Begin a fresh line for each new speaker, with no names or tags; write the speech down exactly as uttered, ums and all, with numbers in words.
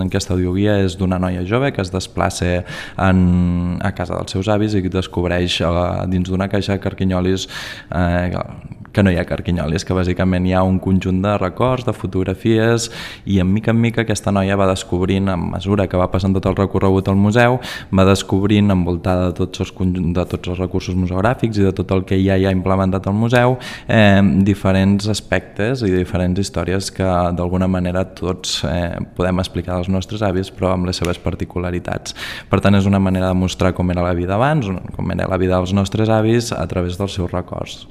Aquesta audioguia és d'una noia jove que es desplaça en, a casa dels seus avis i descobreix eh, dins d'una caixa de carquinyolis eh, que no hi ha carquinyolis, que bàsicament hi ha un conjunt de records, de fotografies, i en mica en mica aquesta noia va descobrint, a mesura que va passant tot el recorregut al museu, va descobrint, envoltada de tots els, de tots els recursos museogràfics i de tot el que ja hi ha implementat al museu, eh, diferents aspectes i diferents històries que d'alguna manera tots eh, podem explicar als nostres avis, però amb les seves particularitats. Per tant, és una manera de mostrar com era la vida abans, com era la vida dels nostres avis a través dels seus records.